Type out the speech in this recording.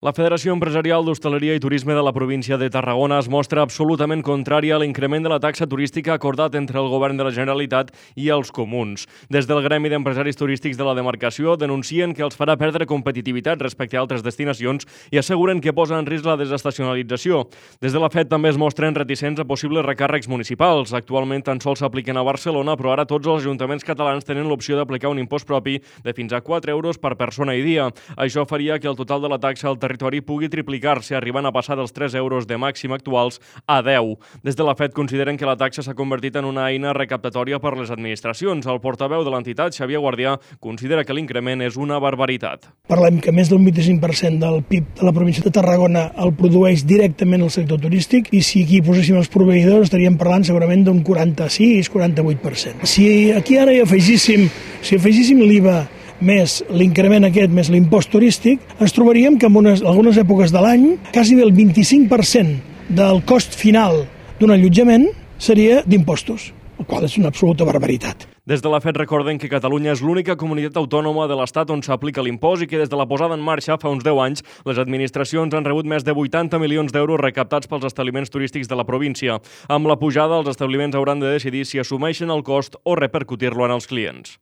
La Federació Empresarial d'Hostaleria i Turisme de la província de Tarragona es mostra absolutament contrària a l'increment de la taxa turística acordat entre el Govern de la Generalitat i els comuns. Des del Gremi d'Empresaris Turístics de la demarcació denuncien que els farà perdre competitivitat respecte a altres destinacions i asseguren que posa en risc la desestacionalització. Des de la FED també es mostren reticents a possibles recàrrecs municipals. Actualment tan sols s'apliquen a Barcelona, però ara tots els ajuntaments catalans tenen l'opció d'aplicar un impost propi de fins a 4 euros per persona i dia. Això faria que el total de la taxa al territori pugui triplicar-se, arribant a passar dels 3 euros de màxim actuals a 10. Des de la FED consideren que la taxa s'ha convertit en una eina recaptatòria per les administracions. El portaveu de l'entitat, Xavier Guardià, considera que l'increment és una barbaritat. Parlem que més del 25% del PIB de la província de Tarragona el produeix directament el sector turístic i si aquí poséssim els proveïdors estaríem parlant segurament d'un 46-48%. Si aquí ara hi afegíssim l'IVA més l'increment aquest, més l'impost turístic, ens trobaríem que en algunes èpoques de l'any quasi el 25% del cost final d'un allotjament seria d'impostos, el qual és una absoluta barbaritat. Des de la FED recorden que Catalunya és l'única comunitat autònoma de l'Estat on s'aplica l'impost i que des de la posada en marxa fa uns 10 anys les administracions han rebut més de 80 milions d'euros recaptats pels establiments turístics de la província. Amb la pujada, els establiments hauran de decidir si assumeixen el cost o repercutir-lo en els clients.